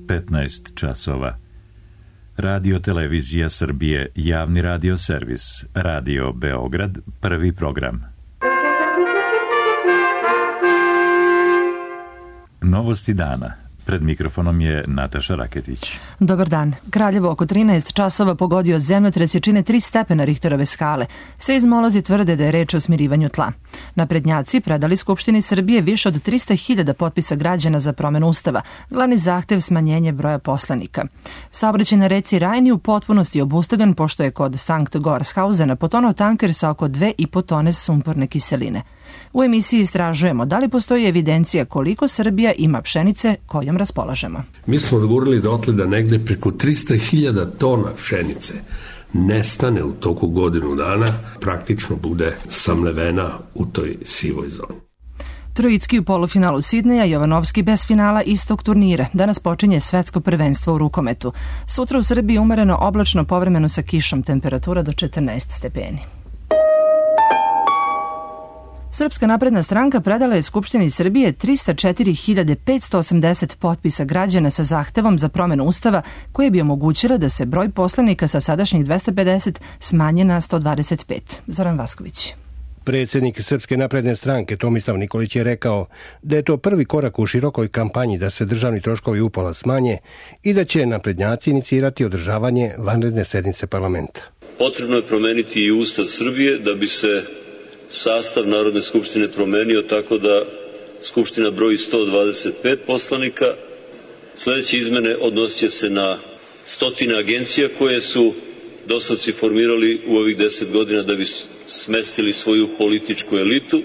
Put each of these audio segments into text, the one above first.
15 časova. Radio Televizija Srbije, javni radio servis, Radio Beograd, prvi program. Novosti dana. Pred mikrofonom je Nataša Raketić. Dobar dan. Kraljevo oko 13 časova pogodio zemljotres jačine 3 stepena Richterove skale. Seizmolozi tvrde da je reč o smirivanju tla. Naprednjaci predali Skupštini Srbije više od 300.000 potpisa građana za promenu ustava. Glavni zahtev smanjenje broja poslanika. Saobraćaj na reci Rajni u potpunosti obustavljen pošto je kod Sankt Goarshausena potonuo tanker sa oko 2,5 tone sumporne kiseline. U emisiji istražujemo da li postoji evidencija koliko Srbija ima pšenice kojom raspolažemo. Mi smo odgovorili dotle da negde preko 300.000 tona pšenice nestane u toku godinu dana, praktično bude samlevena u toj sivoj zoni. Trojicki u polufinalu Sidneja, Jovanovski bez finala istog turnira. Danas počinje svetsko prvenstvo u rukometu. Sutra u Srbiji umereno oblačno, povremeno sa kišom, temperatura do 14 stepeni. Srpska napredna stranka predala je Skupštini Srbije 304.580 potpisa građana sa zahtevom za promenu ustava koje bi omogućila da se broj poslanika sa sadašnjih 250 smanje na 125. Zoran Vasković. Predsjednik Srpske napredne stranke Tomislav Nikolić je rekao da je to prvi korak u širokoj kampanji da se državni troškovi upola smanje i da će naprednjaci inicirati održavanje vanredne sednice parlamenta. Potrebno je promeniti i Ustav Srbije da bi se sastav Narodne skupštine promenio tako da Skupština broji 125 poslanika. Sljedeće izmene odnosit će se na stotine agencija koje su doslovci formirali u ovih 10 godina da bi smestili svoju političku elitu.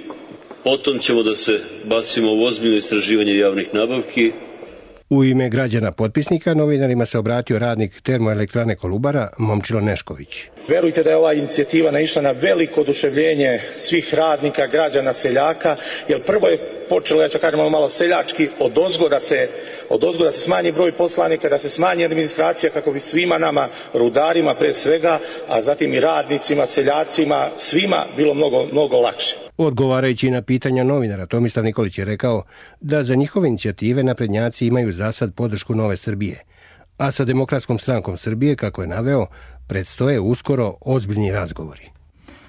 Potom ćemo da se bacimo u ozbiljno istraživanje javnih nabavki. U ime građana potpisnika novinarima se obratio radnik termoelektrane Kolubara Momčilo Nešković. Verujte da je ova inicijativa naišla na veliko oduševljenje svih radnika, građana, seljaka, jer prvo je počelo, ja ću kažem malo seljački, odozgo da se smanji broj poslanika, da se smanji administracija kako bi svima nama, rudarima pre svega, a zatim i radnicima, seljacima, svima bilo mnogo lakše. Odgovarajući na pitanja novinara, Tomislav Nikolić je rekao da za njihove inicijative naprednjaci imaju zasad podršku Nove Srbije, a sa Demokratskom strankom Srbije, kako je naveo, predstoje uskoro ozbiljni razgovori.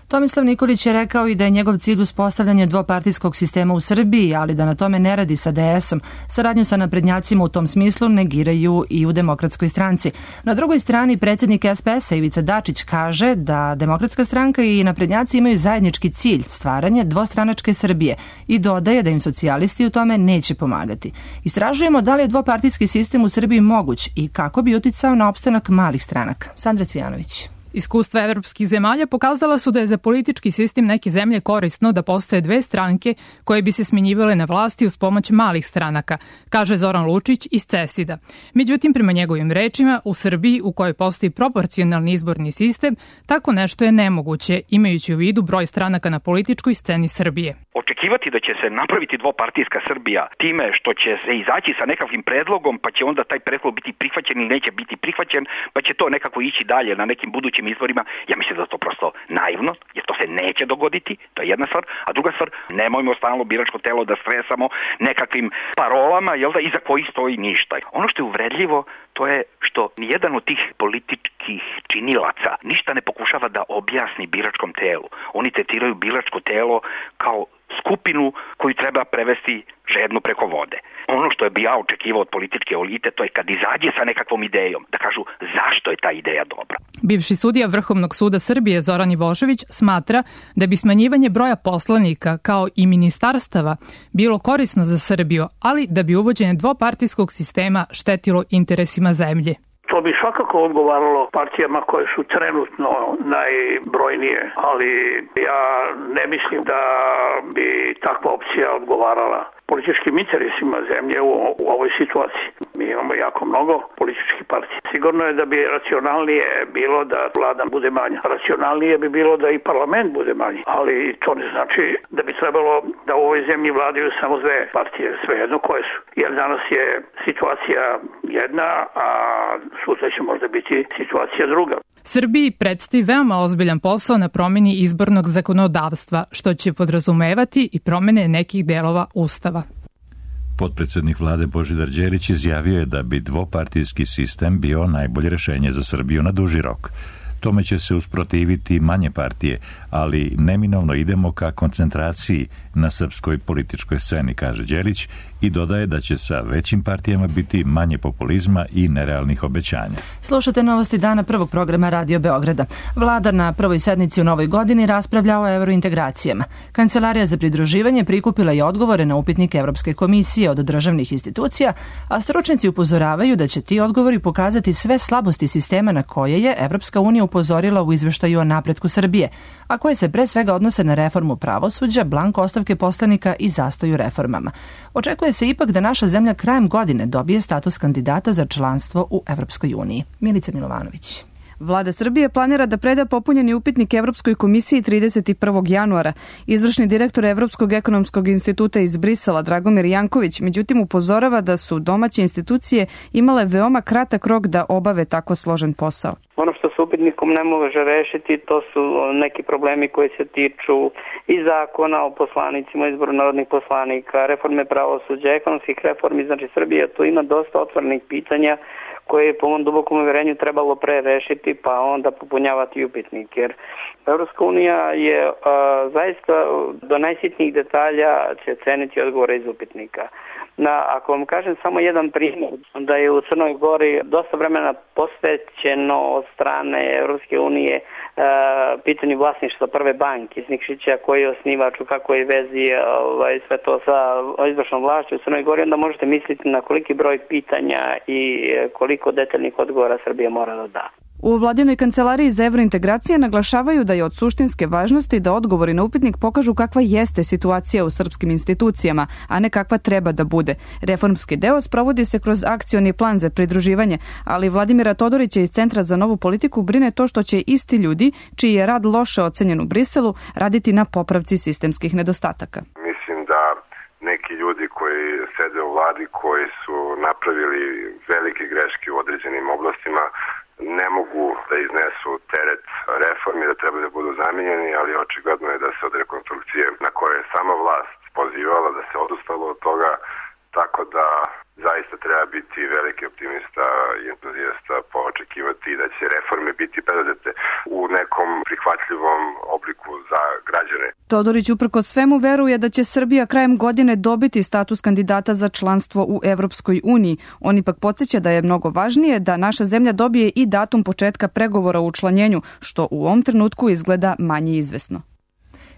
Tomislav Nikolić je rekao i da je njegov cilj uspostavljanje dvopartijskog sistema u Srbiji, ali da na tome ne radi sa DS-om. Saradnju sa naprednjacima u tom smislu negiraju i u Demokratskoj stranci. Na drugoj strani predsjednik SPS-a Ivica Dačić kaže da Demokratska stranka i naprednjaci imaju zajednički cilj, stvaranje dvostranačke Srbije, i dodaje da im socijalisti u tome neće pomagati. Istražujemo da li je dvopartijski sistem u Srbiji moguć i kako bi uticao na opstanak malih stranaka. Sandra Cvijanović. Iskustva evropskih zemalja pokazala su da je za politički sistem neke zemlje korisno da postoje dve stranke koje bi se smjenjivale na vlasti uz pomoć malih stranaka, kaže Zoran Lučić iz CESID-a. Međutim, prema njegovim rečima, u Srbiji, u kojoj postoji proporcionalni izborni sistem, tako nešto je nemoguće, imajući u vidu broj stranaka na političkoj sceni Srbije. Očekivati da će se napraviti dvopartijska Srbija time što će se izaći sa nekakvim predlogom, pa će onda taj predlog biti prihvaćen ili neće biti prihvaćen, pa će to nekako ići dalje na nekim budućim izborima, ja mislim da je to prosto naivno, jer to se neće dogoditi, to je jedna stvar, a druga stvar, nemojmo stalno biračko telo da stresamo nekakvim parolama, jel da, iza kojih stoji ništa. Ono što je uvredljivo, to je što nijedan od tih političkih činilaca ništa ne pokušava da objasni biračkom telu. Oni tretiraju biračko telo kao skupinu koju treba prevesti žedno preko vode. Ono što bi ja očekivao od političke elite, to je kad izađe sa nekakvom idejom, da kažu zašto je ta ideja dobra. Bivši sudija Vrhovnog suda Srbije Zoran Ivošević smatra da bi smanjivanje broja poslanika kao i ministarstava bilo korisno za Srbiju, ali da bi uvođenje dvopartijskog sistema štetilo interesima zemlje. To bi svakako odgovaralo partijama koje su trenutno najbrojnije, ali ja ne mislim da bi takva opcija odgovarala političkim interesima zemlje u ovoj situaciji. Mi imamo jako mnogo političkih partija. Sigurno je da bi racionalnije bilo da vlada bude manja. Racionalnije bi bilo da i parlament bude manji, ali to ne znači da bi trebalo da u ovoj zemlji vladaju samo dve partije, svejedno koje su. Jer danas je situacija jedna, a sutra će možda biti situacija druga. Srbiji predstoji veoma ozbiljan posao na promjeni izbornog zakonodavstva, što će podrazumevati i promjene nekih delova Ustava. Potpredsjednik vlade Božidar Đelić izjavio je da bi dvopartijski sistem bio najbolje rješenje za Srbiju na duži rok. Tome će se usprotiviti manje partije, ali neminovno idemo ka koncentraciji na srpskoj političkoj sceni, kaže Đelić, i dodaje da će sa većim partijama biti manje populizma i nerealnih obećanja. Slušate novosti dana prvog programa Radio Beograda. Vlada na prvoj sednici u novoj godini raspravlja o evrointegracijama. Kancelarija za pridruživanje prikupila je odgovore na upitnike Evropske komisije od državnih institucija, a stručnjaci upozoravaju da će ti odgovori pokazati sve slabosti sistema na koje je Evropska unija upozorila u izveštaju o napretku Srbije, a koje se pre svega odnose na reformu pravosuđa, blanko ostavke poslanika i zastoju reformama. Očekuje se ipak da naša zemlja krajem godine dobije status kandidata za članstvo u Evropskoj uniji. Milica Milovanović. Vlada Srbije planira da preda popunjeni upitnik Evropskoj komisiji 31. januara. Izvršni direktor Evropskog ekonomskog instituta iz Brisela, Dragomir Janković, međutim upozorava da su domaće institucije imale veoma kratak rok da obave tako složen posao. Ono što se upitnikom ne može rešiti, to su neki problemi koji se tiču i zakona o poslanicima, izboru narodnih poslanika, reforme pravosuđa, ekonomskih reformi. Znači Srbija tu ima dosta otvorenih pitanja koje je po mom dubokom uverenju trebalo pre rešiti, pa onda popunjavati upitnik. Jer Evropska unija je zaista do najsitnijih detalja će ceniti odgovore iz upitnika. Ako vam kažem samo jedan primjer, da je u Crnoj Gori dosta vremena posvećeno od strane Evropske unije pitanju vlasništva Prve banke iz Nikšića, koji je osnivač, u kakvoj vezi sve to sa izvršnom vlašću u Crnoj Gori, onda možete misliti na koliki broj pitanja i koliko detaljnih odgovora Srbija mora da da. U vladinoj kancelariji za evrointegracije naglašavaju da je od suštinske važnosti da odgovori na upitnik pokažu kakva jeste situacija u srpskim institucijama, a ne kakva treba da bude. Reformski deo sprovodi se kroz akcioni plan za pridruživanje, ali Vladimira Todorića iz Centra za novu politiku brine to što će isti ljudi, čiji je rad loše ocenjen u Briselu, raditi na popravci sistemskih nedostataka. Mislim da neki ljudi koji sede u vladi, koji su napravili velike greške u određenim oblastima, ne mogu da iznesu teret reformi, da treba da budu zamijenjeni, ali očigledno je da se od rekonstrukcije na koje je sama vlast pozivala, da se odustalo od toga, tako da zaista treba biti veliki optimista i entuzijasta, poočekivati da će reforme biti preduzete u nekom prihvatljivom obliku za građane. Todorić uprko svemu veruje da će Srbija krajem godine dobiti status kandidata za članstvo u Evropskoj uniji. On ipak podsjeća da je mnogo važnije da naša zemlja dobije i datum početka pregovora o učlanjenju, što u ovom trenutku izgleda manje izvesno.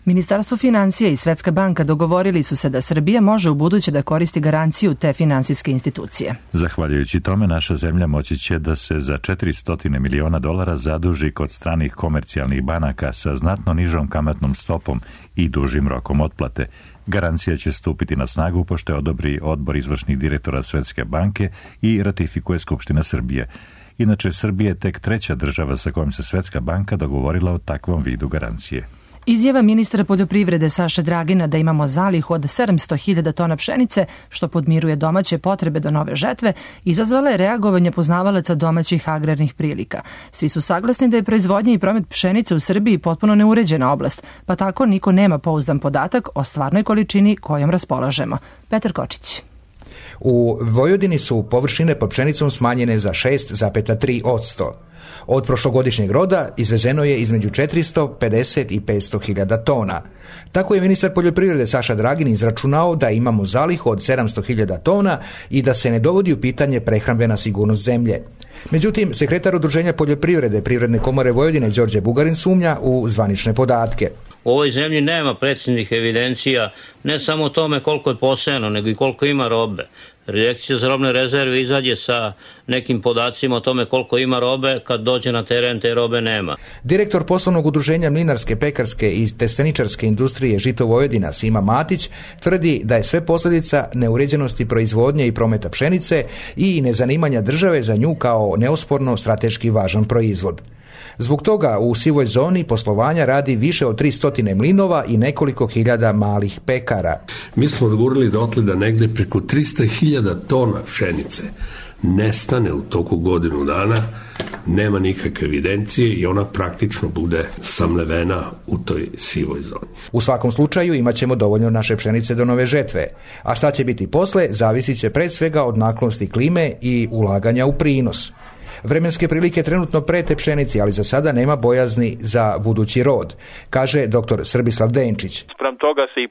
Ministarstvo financija i Svetska banka dogovorili su se da Srbija može ubuduće da koristi garanciju te finansijske institucije. Zahvaljujući tome, naša zemlja moći će da se za $400 miliona zaduži kod stranih komercijalnih banaka sa znatno nižom kamatnom stopom i dužim rokom otplate. Garancija će stupiti na snagu pošto je odobri odbor izvršnih direktora Svetske banke i ratifikuje Skupština Srbije. Inače, Srbija je tek treća država sa kojom se Svetska banka dogovorila o takvom vidu garancije. Izjava ministra poljoprivrede Saše Dragina da imamo zalihu od 700.000 tona pšenice, što podmiruje domaće potrebe do nove žetve, izazvala je reagovanje poznavalaca domaćih agrarnih prilika. Svi su saglasni da je proizvodnja i promet pšenice u Srbiji potpuno neuređena oblast, pa tako niko nema pouzdan podatak o stvarnoj količini kojom raspolažemo. Petar Kočić. U Vojvodini su površine pod pšenicom smanjene za 6,3%. Od prošlogodišnjeg roda izvezeno je između 450 i 500.000 tona. Tako je ministar poljoprivrede Saša Dragin izračunao da imamo zalihu od 700.000 tona i da se ne dovodi u pitanje prehrambena sigurnost zemlje. Međutim, sekretar Udruženja poljoprivrede Privredne komore Vojvodine Đorđe Bugarin sumnja u zvanične podatke. U ovoj zemlji nema preciznih evidencija ne samo o tome koliko je posejano, nego i koliko ima robe. Direkcija za robne rezerve izađe sa nekim podacima o tome koliko ima robe, kad dođe na teren te robe nema. Direktor poslovnog udruženja mlinarske, pekarske i testeničarske industrije Žito Vojvodina Sima Matić tvrdi da je sve posljedica neuređenosti proizvodnje i prometa pšenice i nezanimanja države za nju kao neosporno strateški važan proizvod. Zbog toga u sivoj zoni poslovanja radi više od 300 mlinova i nekoliko hiljada malih pekara. Mi smo odgovorili dotle da negde preko 300.000 tona pšenice nestane u toku godinu dana, nema nikakve evidencije i ona praktično bude samlevena u toj sivoj zoni. U svakom slučaju imat ćemo dovoljno naše pšenice do nove žetve, a šta će biti posle zavisit će pred svega od naklonosti klime i ulaganja u prinos. Vremenske prilike trenutno prete pšenici, ali za sada nema bojazni za budući rod, kaže dr. Srbislav Denčić. Sprem toga se i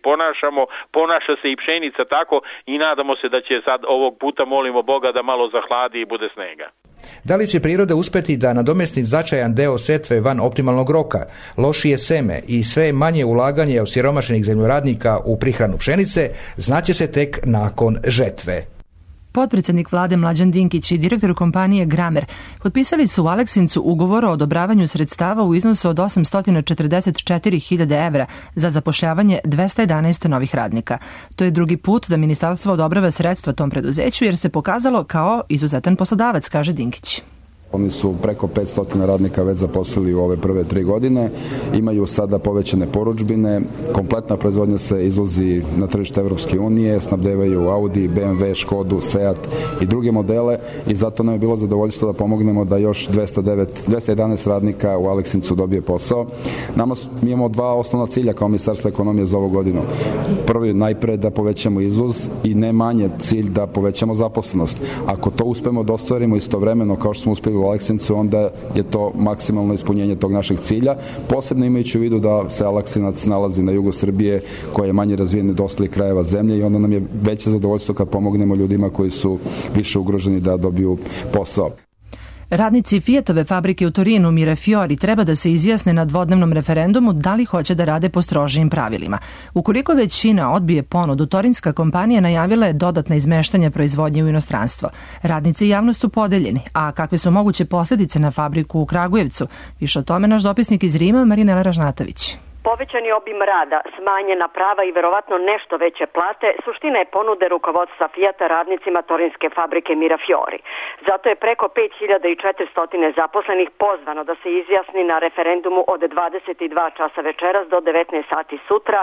ponaša se i pšenica tako i nadamo se da će sad ovog puta, molimo Boga, da malo zahladi i bude snega. Da li će priroda uspeti da nadomesti značajan deo setve van optimalnog roka, lošije seme i sve manje ulaganje osiromašenih zemljoradnika u prihranu pšenice, znaće se tek nakon žetve. Potpredsjednik vlade Mlađan Dinkić i direktor kompanije Gramer potpisali su u Aleksincu ugovor o odobravanju sredstava u iznosu od 844.000 evra za zapošljavanje 211 novih radnika. To je drugi put da ministarstvo odobrava sredstva tom preduzeću jer se pokazalo kao izuzetan poslodavac, kaže Dinkić. Oni su preko 500 radnika već zaposlili u ove prve 3 godine, imaju sada povećane porudžbine, kompletna proizvodnja se izvozi na tržište Evropske unije, snabdevaju Audi, BMW, Škodu, Seat i druge modele i zato nam je bilo zadovoljstvo da pomognemo da još 211 radnika u Aleksincu dobije posao. Mi imamo 2 osnovna cilja kao Ministarstvo ekonomije za ovu godinu. Prvi, najpre da povećamo izvoz i ne manje cilj da povećamo zaposlenost. Ako to uspemo da ostvarimo istovremeno kao što smo uspeli u Aleksincu, onda je to maksimalno ispunjenje tog našeg cilja, posebno imajući u vidu da se Aleksinac nalazi na jugu Srbije, koja je manje razvijena do ostalih krajeva zemlje i onda nam je veće zadovoljstvo kad pomognemo ljudima koji su više ugroženi da dobiju posao. Radnici Fiatove fabrike u Torinu Mirafiori treba da se izjasne na dvodnevnom referendumu da li hoće da rade po strožijim pravilima. Ukoliko većina odbije ponudu, torinska kompanija najavila je dodatna izmeštanja proizvodnje u inostranstvo. Radnici i javnost su podeljeni, a kakve su moguće posljedice na fabriku u Kragujevcu? Više o tome naš dopisnik iz Rima, Marinela Ražnatović. Povećani obim rada, smanjena prava i verovatno nešto veće plate suština je ponude rukovodstva Fijata radnicima torinske fabrike Mirafiori. Zato je preko 5400 zaposlenih pozvano da se izjasni na referendumu od 22 časa večeras do 19 sati sutra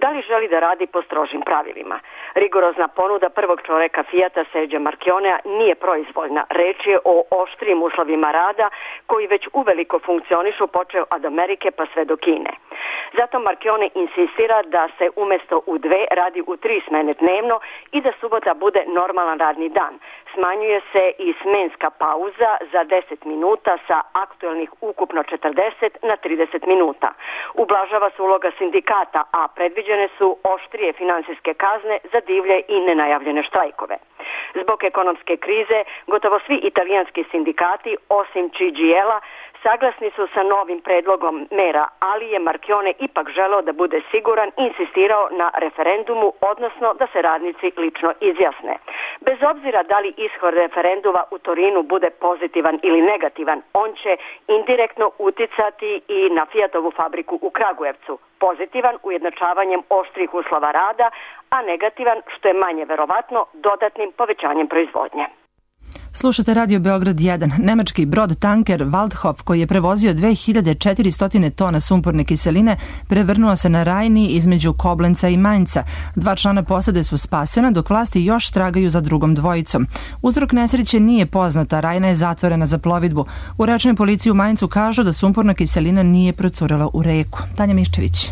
da li želi da radi po strožim pravilima. Rigorozna ponuda prvog čoveka Fijata Serđa Marchionea nije proizvoljna. Reč je o oštrijim uslovima rada koji već uveliko funkcionišu počeo od Amerike pa sve do Kine. Zato Marchione insistira da se umjesto u 2 radi u 3 smene dnevno i da subota bude normalan radni dan. Smanjuje se i smenska pauza za 10 minuta sa aktualnih ukupno 40 na 30 minuta. Ublažava se uloga sindikata, a predviđene su oštrije finansijske kazne za divlje i nenajavljene štrajkove. Zbog ekonomske krize, gotovo svi italijanski sindikati, osim CGL-a, saglasni su sa novim predlogom mera, ali je Marchione ipak želeo da bude siguran i insistirao na referendumu, odnosno da se radnici lično izjasne. Bez obzira da li ishod referenduma u Torinu bude pozitivan ili negativan, on će indirektno uticati i na Fijatovu fabriku u Kragujevcu. Pozitivan ujednačavanjem oštrih uslova rada, a negativan, što je manje verovatno, dodatnim povećanjem proizvodnje. Slušate Radio Beograd 1. Nemački brod tanker Waldhof koji je prevozio 2400 tona sumporne kiseline prevrnuo se na Rajni između Koblenca i Mainca. 2 člana posade su spasena dok vlasti još tragaju za drugom dvojicom. Uzrok nesreće nije poznata, Rajna je zatvorena za plovidbu. U rečnoj policiji u Maincu kažu da sumporna kiselina nije procurela u reku. Tanja Miščević.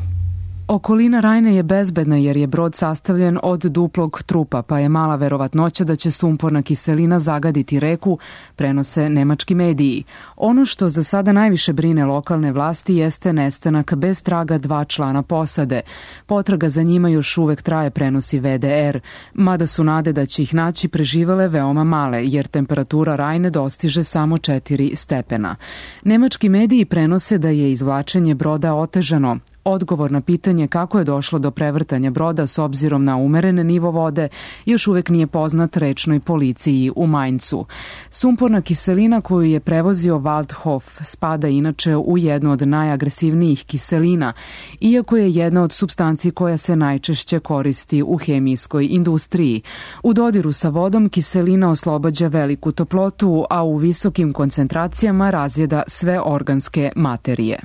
Okolina Rajne je bezbedna jer je brod sastavljen od duplog trupa, pa je mala verovatnoća da će sumporna kiselina zagaditi reku, prenose nemački mediji. Ono što za sada najviše brine lokalne vlasti jeste nestanak bez traga 2 člana posade. Potraga za njima još uvek traje, prenosi VDR, mada su nade da će ih naći preživele veoma male, jer temperatura Rajne dostiže samo 4 stepena. Nemački mediji prenose da je izvlačenje broda otežano. Odgovor na pitanje kako je došlo do prevrtanja broda s obzirom na umeren nivo vode još uvek nije poznat rečnoj policiji u Mainzu. Sumporna kiselina koju je prevozio Waldhof spada inače u jednu od najagresivnijih kiselina, iako je jedna od supstanci koja se najčešće koristi u hemijskoj industriji. U dodiru sa vodom kiselina oslobađa veliku toplotu, a u visokim koncentracijama razjeda sve organske materije.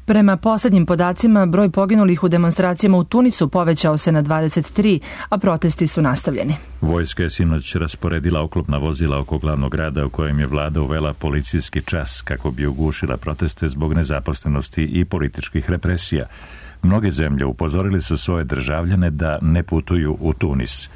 Prema poslednjim podacima, broj poginulih u demonstracijama u Tunisu povećao se na 23, a protesti su nastavljeni. Vojska je sinoć rasporedila oklopna vozila oko glavnog grada u kojem je vlada uvela policijski čas kako bi ugušila proteste zbog nezaposlenosti i političkih represija. Mnoge zemlje upozorili su svoje državljane da ne putuju u Tunis.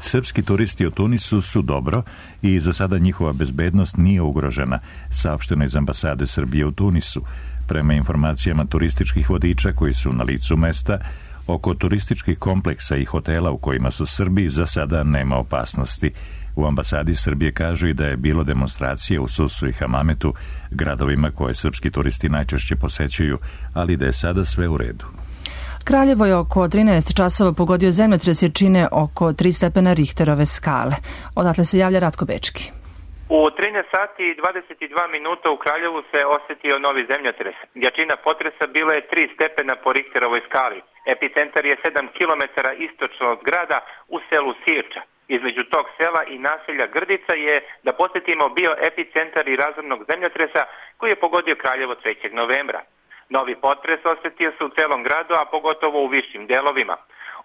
Srpski turisti u Tunisu su dobro i za sada njihova bezbednost nije ugrožena, saopšteno iz ambasade Srbije u Tunisu. Prema informacijama turističkih vodiča koji su na licu mesta, oko turističkih kompleksa i hotela u kojima su Srbi za sada nema opasnosti. U ambasadi Srbije kažu i da je bilo demonstracije u Susu i Hamametu, gradovima koje srpski turisti najčešće posećuju, ali da je sada sve u redu. Kraljevo je oko 13 časova pogodio zemljotres jačine oko 3 stepena Richterove skale. Odatle se javlja Ratko Bečki. U 13 sati i 22 minuta u Kraljevu se osetio novi zemljotres. Jačina potresa bila je 3 stepena po Richterovoj skali. Epicentar je 7 km istočno od grada u selu Sirča. Između tog sela i naselja Grdica je, da podsjetimo, bio epicentar i razornog zemljotresa koji je pogodio Kraljevo 3. novembra. Novi potres osetio se u celom gradu, a pogotovo u višim delovima.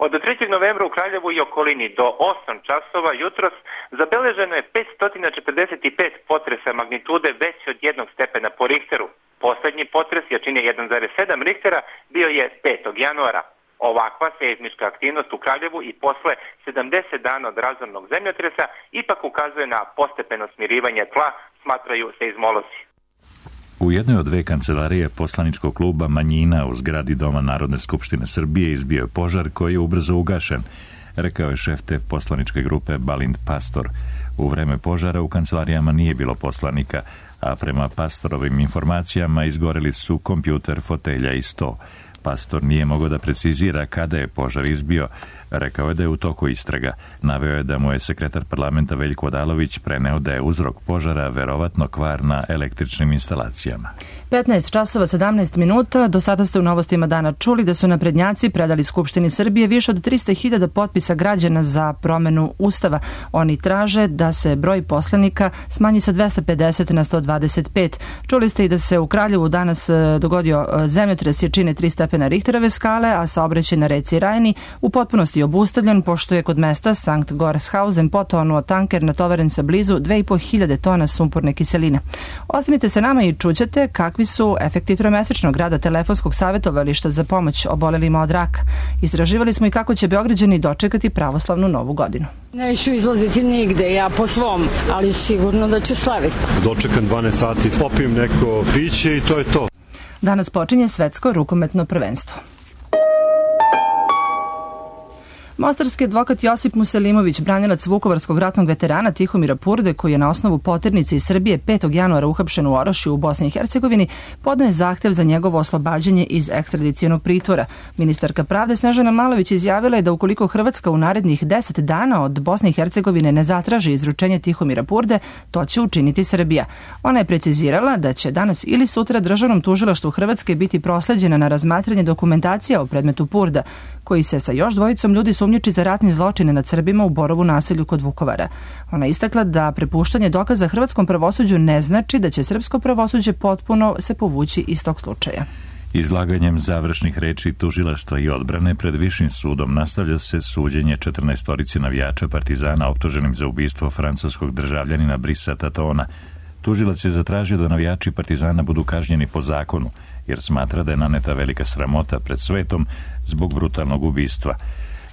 Od 3. novembra u Kraljevu i okolini do 8 časova jutros zabeleženo je 545 potresa magnitude veće od 1 stepena po Richteru. Poslednji potres jačine 1,7 Richtera bio je 5. januara. Ovakva seizmička aktivnost u Kraljevu i posle 70 dana od razornog zemljotresa ipak ukazuje na postepeno smirivanje tla, smatraju seizmolozi. U jednoj od 2 kancelarije poslaničkog kluba Manjina u zgradi Doma Narodne skupštine Srbije izbio je požar koji je ubrzo ugašen, rekao je šef te poslaničke grupe Balint Pastor. U vreme požara u kancelarijama nije bilo poslanika, a prema Pastorovim informacijama izgoreli su kompjuter, fotelja i sto. Pastor nije mogao da precizira kada je požar izbio. Rekao je da je u toku istraga. Naveo je da mu je sekretar parlamenta Veljko Odalović preneo da je uzrok požara verovatno kvar na električnim instalacijama. 15 časova 17 minuta. Do sada ste u novostima dana čuli da su naprednjaci predali Skupštini Srbije više od 300.000 potpisa građana za promenu Ustava. Oni traže da se broj poslanika smanji sa 250 na 125. Čuli ste i da se u Kraljevu danas dogodio zemljotres jačine 3 stepena Richterove skale, a saobraćaj na reci Rajni u potpunosti obustavljen, pošto je kod mesta Sankt Gorshausen potonuo tanker natovaren sa blizu 2.500 tona sumporne kiseline. Ostanite se nama i čućete kakvi su efekti tromesečnog rada telefonskog savjetovališta za pomoć obolelima od raka. Istraživali smo i kako će Beograđani dočekati pravoslavnu novu godinu. Neću izlaziti nigde, ja po svom, ali sigurno da ću slaviti. Dočekam 12 sati, popijem neko piće i to je to. Danas počinje svetsko rukometno prvenstvo. Mostarski advokat Josip Muselimović, branilac vukovarskog ratnog veterana Tihomira Purde, koji je na osnovu poternice iz Srbije 5. januara uhapšen u Orašju u Bosni i Hercegovini, podneo je zahtev za njegovo oslobađanje iz ekstradicionog pritvora. Ministarka pravde Snežana Malović izjavila je da ukoliko Hrvatska u narednih 10 dana od Bosne i Hercegovine ne zatraži izručenje Tihomira Purde, to će učiniti Srbija. Ona je precizirala da će danas ili sutra Državnom tužilaštvu Hrvatske biti prosleđena na razmatranje dokumentacija o predmetu Purda, koji se sa još dvojicom ljudi sumnjiči za ratni zločine nad Srbima u Borovu naselju kod Vukovara. Ona je istakla da prepuštanje dokaza hrvatskom pravosuđu ne znači da će srpsko pravosuđe potpuno se povući iz tog slučaja. Izlaganjem završnih reči tužilaštva i odbrane pred Višim sudom nastavlja se suđenje 14 navijača Partizana optuženim za ubistvo francuskog državljanina Brisa Tatona. Tužilac je zatražio da navijači Partizana budu kažnjeni po zakonu, jer smatra da je naneta velika sramota pred svetom zbog brutalnog ubistva.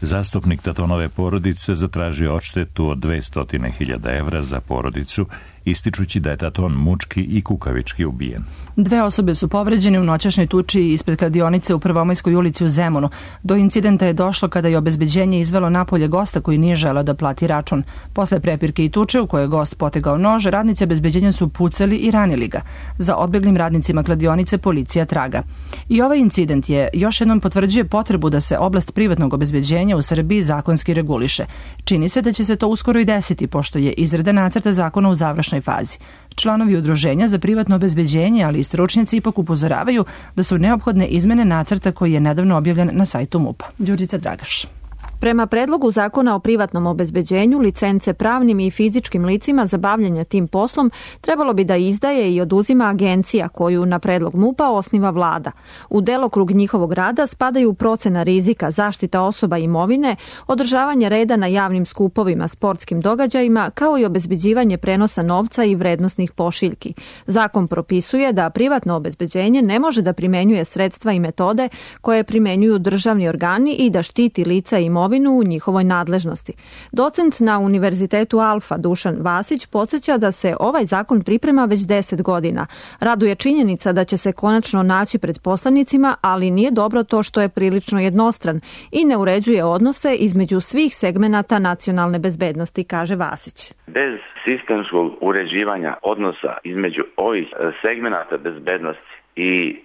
Zastupnik Tatonove porodice zatražio odštetu od 200.000 evra za porodicu ističući da je Taton mučki i kukavički ubijen. 2 osobe su povređene u noćašnjoj tuči ispred kladionice u Prvomajskoj ulici u Zemunu. Do incidenta je došlo kada je obezbeđenje izvelo napolje gosta koji nije želeo da plati račun. Posle prepirke i tuče u kojoj je gost potegao nož, radnici obezbeđenja su pucali i ranili ga. Za odbeglim radnicima kladionice policija traga. I ovaj incident je još jednom potvrđuje potrebu da se oblast privatnog obezbeđenja u Srbiji zakonski reguliše. Čini se da će se to uskoro i desiti, pošto je izrada nacrta zakona u završnoj fazi. Članovi udruženja za privatno obezbeđenje, ali i stručnjaci ipak upozoravaju da su neophodne izmene nacrta koji je nedavno objavljen na sajtu MUP-a. Đurđica Dragaš. Prema predlogu zakona o privatnom obezbeđenju, licence pravnim i fizičkim licima za bavljanje tim poslom trebalo bi da izdaje i oduzima agencija koju na predlog MUP-a osniva vlada. U delokrug njihovog rada spadaju procena rizika, zaštita osoba i imovine, održavanje reda na javnim skupovima, sportskim događajima, kao i obezbeđivanje prenosa novca i vrednosnih pošiljki. Zakon propisuje da privatno obezbeđenje ne može da primenjuje sredstva i metode koje primenjuju državni organi i da štiti lica i imovinu u njihovoj nadležnosti. Docent na Univerzitetu Alfa Dušan Vasić podsjeća da se ovaj zakon priprema već 10 godina. Raduje činjenica da će se konačno naći pred poslanicima, ali nije dobro to što je prilično jednostran i ne uređuje odnose između svih segmenata nacionalne bezbednosti, kaže Vasić. Bez sistemskog uređivanja odnosa između ovih segmenata bezbednosti i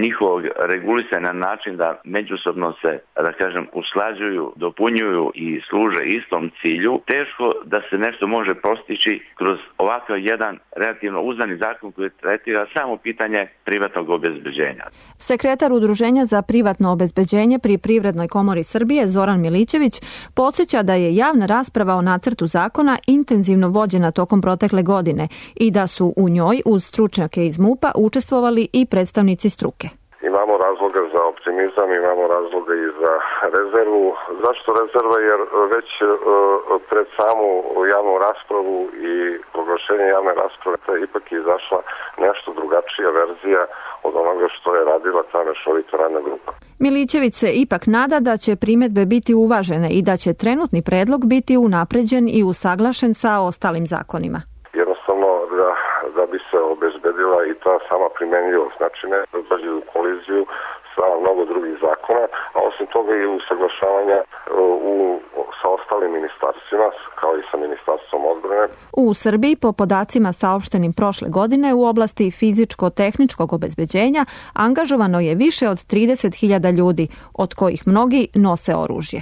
njihovog regulisanja na način da međusobno se, da kažem, usklađuju, dopunjuju i služe istom cilju, teško da se nešto može postići kroz ovakav jedan relativno uzdani zakon koji tretira samo pitanje privatnog obezbeđenja. Sekretar Udruženja za privatno obezbeđenje pri Privrednoj komori Srbije Zoran Milićević podsjeća da je javna rasprava o nacrtu zakona intenzivno vođena tokom protekle godine i da su u njoj uz stručnjake iz MUP-a učestvovali i predstavnici struke. Imamo razloga za optimizam, imamo razloga i za rezervu. Zašto rezerva? Jer već pred samu javnu raspravu i proglašenje javne rasprave ipak je izašla nešto drugačija verzija od onoga što je radila ta mešovita radna grupa. Milićević se ipak nada da će primedbe biti uvažene i da će trenutni predlog biti unapređen i usaglašen sa ostalim zakonima. Jednostavno da bi se obezbedila i ta sama primenljivost, znači ne da dođe u koliziju sa mnogo drugih zakona, a osim toga i usaglašavanja sa ostalim ministarstvima, kao i sa Ministarstvom odbrane. U Srbiji, po podacima saopštenim prošle godine, u oblasti fizičko-tehničkog obezbeđenja angažovano je više od 30.000 ljudi, od kojih mnogi nose oružje.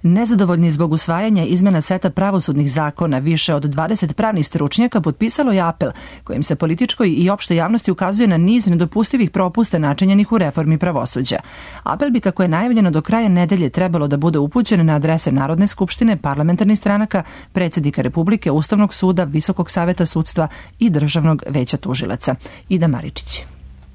Nezadovoljni zbog usvajanja izmena seta pravosudnih zakona, više od 20 pravnih stručnjaka potpisalo je apel kojim se političkoj i opštoj javnosti ukazuje na niz nedopustivih propusta načinjenih u reformi pravosuđa. Apel bi, kako je najavljeno, do kraja nedelje trebalo da bude upućen na adrese Narodne skupštine, parlamentarnih stranaka, predsjednika Republike, Ustavnog suda, Visokog saveta sudstva i Državnog veća tužilaca. Ida Maričić.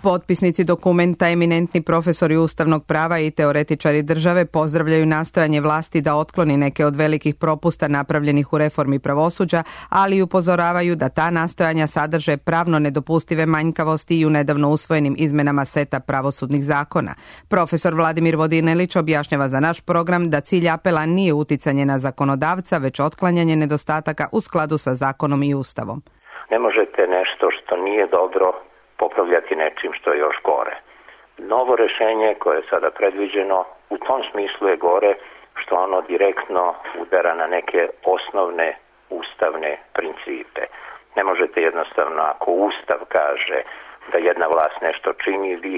Potpisnici dokumenta, eminentni profesori ustavnog prava i teoretičari države, pozdravljaju nastojanje vlasti da otkloni neke od velikih propusta napravljenih u reformi pravosuđa, ali upozoravaju da ta nastojanja sadrže pravno nedopustive manjkavosti i u nedavno usvojenim izmenama seta pravosudnih zakona. Profesor Vladimir Vodinelić objašnjava za naš program da cilj apela nije uticanje na zakonodavca, već otklanjanje nedostataka u skladu sa zakonom i ustavom. Ne možete nešto što nije dobro popravljati nečim što je još gore. Novo rešenje koje je sada predviđeno u tom smislu je gore što ono direktno udara na neke osnovne ustavne principe. Ne možete jednostavno, ako Ustav kaže da jedna vlast nešto čini, vi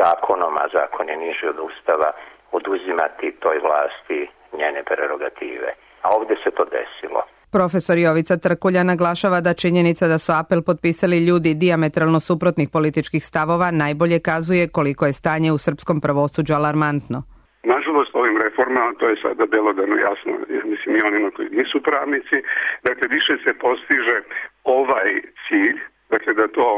zakonom, a zakon je niži od Ustava, oduzimati toj vlasti njene prerogative. A ovdje se to desilo. Profesor Jovica Trkulja naglašava da činjenica da su apel potpisali ljudi dijametralno suprotnih političkih stavova najbolje kazuje koliko je stanje u srpskom pravosuđu alarmantno. Nažalost, ovim reformama, to je sada belodano jasno, mislim i onima koji nisu pravnici, dakle više se postiže ovaj cilj, dakle da to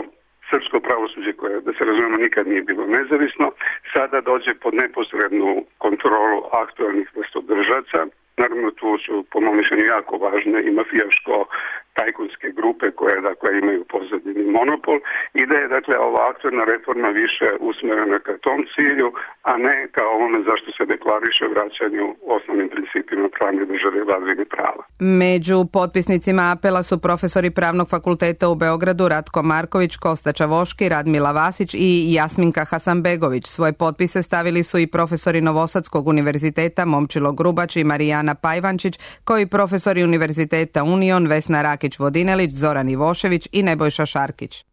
srpsko pravosuđe koje, da se razumemo, nikad nije bilo nezavisno, sada dođe pod neposrednu kontrolu aktualnih vlastodržaca. Naravno, tu su, po mom mišljenju, jako važne i mafijaško-tajkunske grupe koje, dakle, imaju pozadini monopol i da je, dakle, ova aktualna reforma više usmerena ka tom cilju, a ne kao ono zašto se deklariše vraćanju osnovnim principima pravne države vladavini prava. Među potpisnicima apela su profesori Pravnog fakulteta u Beogradu Ratko Marković, Kosta Čavoški, Radmila Vasić i Jasminka Hasanbegović. Svoje potpise stavili su i profesori Novosadskog univerziteta Momčilo Grubač i Marijana Pajvančić, kao i profesori Univerziteta Union Vesna Rakić-Vodinelić, Zoran Ivošević i Nebojša Šarkić.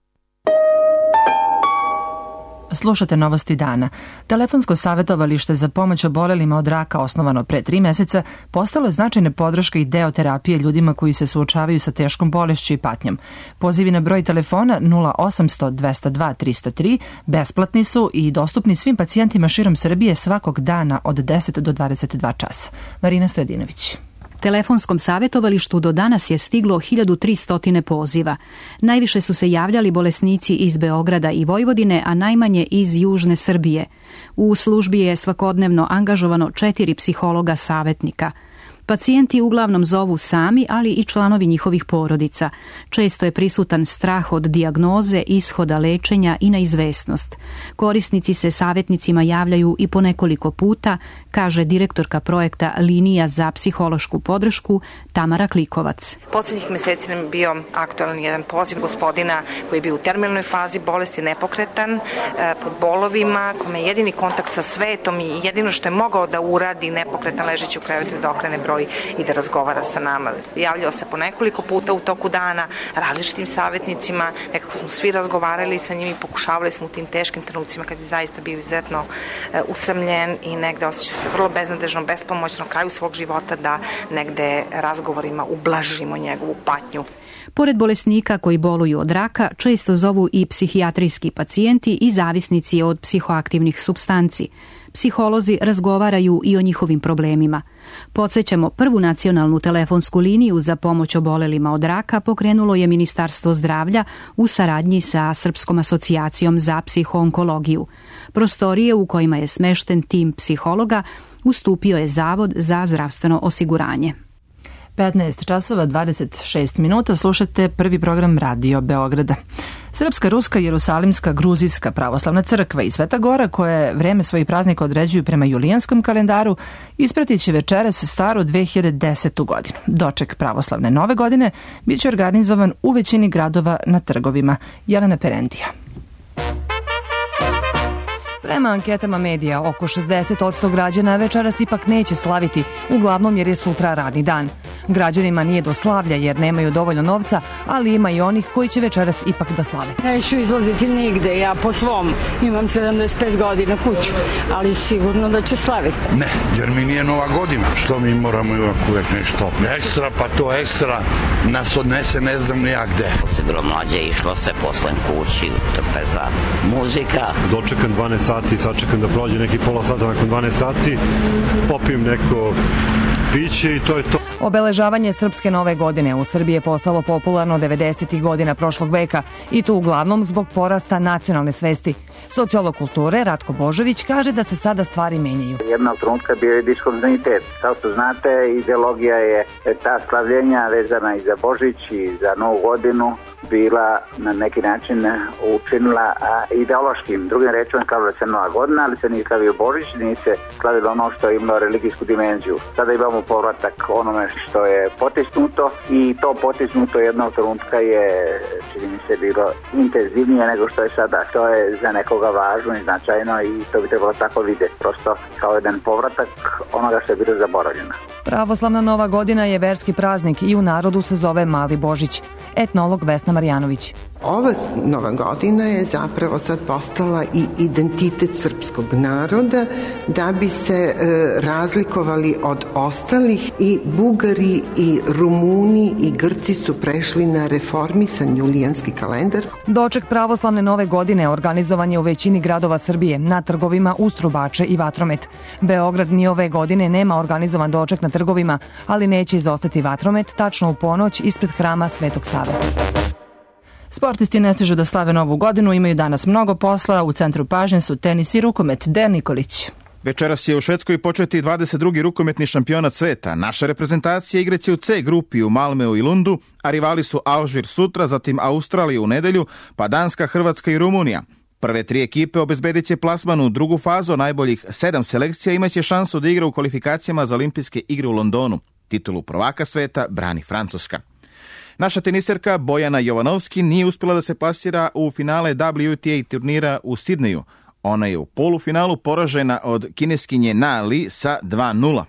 Slušate Novosti dana. Telefonsko savjetovalište za pomoć obolelima od raka, osnovano pre 3 meseca, postalo je značajne podrške i deo terapije ljudima koji se suočavaju sa teškom bolešću i patnjom. Pozivi na broj telefona 0800 202 303 besplatni su i dostupni svim pacijentima širom Srbije svakog dana od 10 do 22 časa. Marina Stojadinović. Telefonskom savjetovalištu do danas je stiglo 1300 poziva. Najviše su se javljali bolesnici iz Beograda i Vojvodine, a najmanje iz Južne Srbije. U službi je svakodnevno angažovano 4 psihologa savjetnika. Pacijenti uglavnom zovu sami, ali i članovi njihovih porodica. Često je prisutan strah od dijagnoze, ishoda lečenja i neizvesnost. Korisnici se savjetnicima javljaju i po nekoliko puta, kaže direktorka projekta Linija za psihološku podršku Tamara Klikovac. Posljednjih meseci nam je bio aktualan jedan poziv gospodina koji je bio u terminalnoj fazi bolesti, nepokretan, pod bolovima, kome je jedini kontakt sa svetom i jedino što je mogao da uradi nepokretan ležeći u krevetu da okrene broj i da razgovara sa nama. Javljao se po nekoliko puta u toku dana različitim savjetnicima, nekako smo svi razgovarali sa njim i pokušavali smo u tim teškim trenucima kad je zaista bio izuzetno usamljen i negde osjećao se vrlo beznadežno, bespomoćno kraju svog života da negde razgovorima ublažimo njegovu patnju. Pored bolesnika koji boluju od raka, često zovu i psihijatrijski pacijenti i zavisnici od psihoaktivnih supstanci. Psiholozi razgovaraju i o njihovim problemima. Podsjećamo, prvu nacionalnu telefonsku liniju za pomoć obolelima od raka pokrenulo je Ministarstvo zdravlja u saradnji sa Srpskom asocijacijom za psihoonkologiju. Prostorije u kojima je smešten tim psihologa ustupio je Zavod za zdravstveno osiguranje. 15 časova 26 minuta, slušate prvi program Radio Beograda. Srpska, ruska, jerusalimska, gruzijska pravoslavna crkva i Sveta Gora, koje vreme svojih praznika određuju prema julijanskom kalendaru, ispratit će večeras staru 2010. godinu. Doček pravoslavne nove godine bit će organizovan u većini gradova na trgovima. Jelena Perendija. Prema anketama medija, oko 60% građana večeras ipak neće slaviti, uglavnom jer je sutra radni dan. Građanima nije do slavlja jer nemaju dovoljno novca, ali ima i onih koji će večeras ipak da slave. Neću izlaziti nigde, ja po svom imam 75 godina kuću, ali sigurno da ću slaviti. Ne, jer mi nije nova godina, što mi moramo uvek nešto ekstra, pa to ekstra nas odnese ne znam ni ja gde. Posle bilo mlađe, išlo se poslen kući, trpeza, muzika. Dočekam 12 sati, sačekam da prođe neki pola sata nakon 12 sati, popijem neko piće i to je to. Obeležavanje srpske nove godine u Srbiji je postalo popularno 90. godina prošlog veka i to uglavnom zbog porasta nacionalne svesti. Sociolog kulture Ratko Božović kaže da se sada stvari menjaju. Jednog trenutka bio je diskontinuitet. Kao što znate, ideologija je ta slavljenja vezana i za Božić i za Novu godinu bila na neki način učinila ideološkim. Drugim rečima kao da se Nova godina, ali se nije slavio Božić, nije se slavilo ono što je imalo religijsku dimenziju. Sada imamo povratak onome što je potisnuto i to potisnuto jednog trenutka je, čini mi se, bilo intenzivnije nego što je sada. To je za nekoga važno i značajno i to bi trebalo tako vidjeti. Prosto kao jedan povratak onoga što je bilo zaboravljeno. Pravoslavna Nova godina je verski praznik i u narodu se zove Mali Božić. Etnolog Vesna Marjanović. Ova Nova godina je zapravo sad postala i identitet srpskog naroda da bi se razlikovali od ostalih i Bugari i Rumuni i Grci su prešli na reformisan julijanski kalendar. Doček pravoslavne Nove godine organizovan je u većini gradova Srbije, na trgovima uz trubače i vatromet. Beograd ni ove godine nema organizovan doček na trgovima, ali neće izostati vatromet tačno u ponoć ispred hrama Svetog Save. Sportisti ne stižu da slave Novu godinu, imaju danas mnogo posla, u centru pažnje su tenis i rukomet. Dejan Nikolić. Večeras će u Švedskoj početi 22. rukometni šampionat sveta. Naša reprezentacija igraće u C grupi u Malmeu i Lundu, a rivali su Alžir sutra, zatim Australija u nedelju, pa Danska, Hrvatska i Rumunija. Prve 3 ekipe obezbedit će plasman u drugu fazu, najboljih 7 selekcija imaće šansu da igra u kvalifikacijama za olimpijske igre u Londonu. Titulu prvaka sveta brani Francuska. Naša teniserka Bojana Jovanovski nije uspjela da se plasira u finale WTA turnira u Sidneju. Ona je u polufinalu poražena od kineskinje Na Li sa 2:0.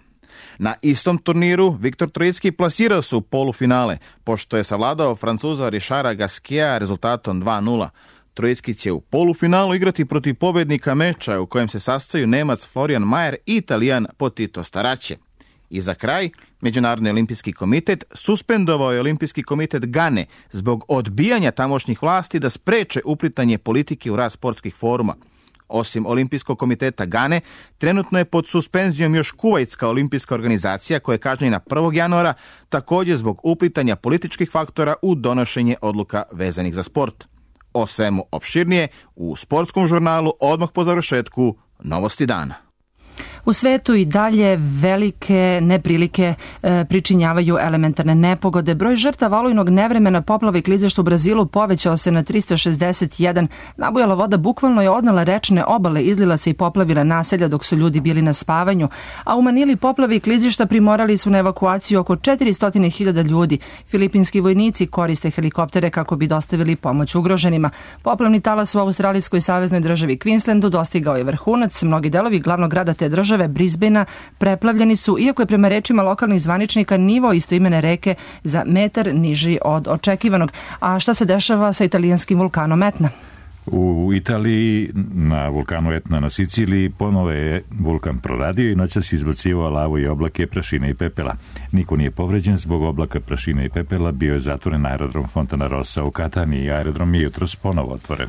Na istom turniru Viktor Trojicki plasirao se u polufinale, pošto je savladao Francuza Richarda Gasqueta rezultatom 2:0. Trojicki će u polufinalu igrati protiv pobednika meča u kojem se sastaju Nemac Florian Mayer i Italijan Potito Starace. I za kraj, Međunarodni olimpijski komitet suspendovao je Olimpijski komitet Gane zbog odbijanja tamošnjih vlasti da spreče uplitanje politike u rad sportskih foruma. Osim Olimpijskog komiteta Gane, trenutno je pod suspenzijom još Kuvajtska olimpijska organizacija koja je kažnjena 1. januara također zbog uplitanja političkih faktora u donošenje odluka vezanih za sport. O svemu opširnije u sportskom žurnalu odmah po završetku Novosti dana. U svetu i dalje velike neprilike pričinjavaju elementarne nepogode. Broj žrtava olujnog nevremena, poplava i klizišta u Brazilu povećao se na 361. Nabujala voda bukvalno je odnela rečne obale, izlila se i poplavila naselja dok su ljudi bili na spavanju. A u Manili poplave i klizišta primorali su na evakuaciju oko 400.000 ljudi. Filipinski vojnici koriste helikoptere kako bi dostavili pomoć ugroženima. Poplavni talas u Australijskoj saveznoj državi Queenslandu dostigao je vrhunac. Mnogi delovi glavnog grada te države Brisbanea preplavljeni su, iako je prema rečima lokalnih zvaničnika nivo istoimene reke za metar niži od očekivanog. A šta se dešava sa italijanskim vulkanom Etna? U Italiji, na vulkanu Etna na Siciliji, ponovo je vulkan proradio i noćas izbacivao lavu i oblake prašine i pepela. Niko nije povređen zbog oblaka prašine i pepela, bio je zatvoren aerodrom Fontana Rossa u Kataniji i aerodrom je jutros ponovo otvoren.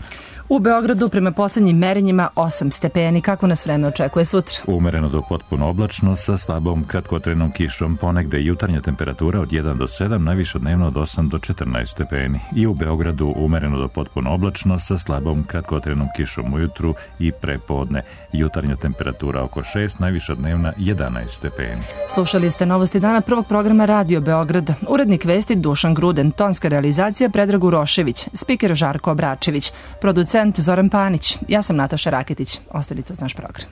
U Beogradu prema posljednjim merenjima 8 stepeni. Kako nas vreme očekuje sutra? Umereno do potpuno oblačno sa slabom kratkotrenom kišom, ponegde jutarnja temperatura od 1 do 7, najviše dnevno od 8 do 14 stepeni. I u Beogradu umereno do potpuno oblačno sa slabom kratkotrenom kišom ujutru i prepodne. Jutarnja temperatura oko 6, najviša dnevna 11 stepeni. Slušali ste Novosti dana prvog programa Radio Beograd. Urednik vesti Dušan Gruden, tonska realizacija Predrag Urošević, spiker Žarko Obračević, producent Zoran Panić. Ja sam Nataša Raketić. Ostanite uz naš program.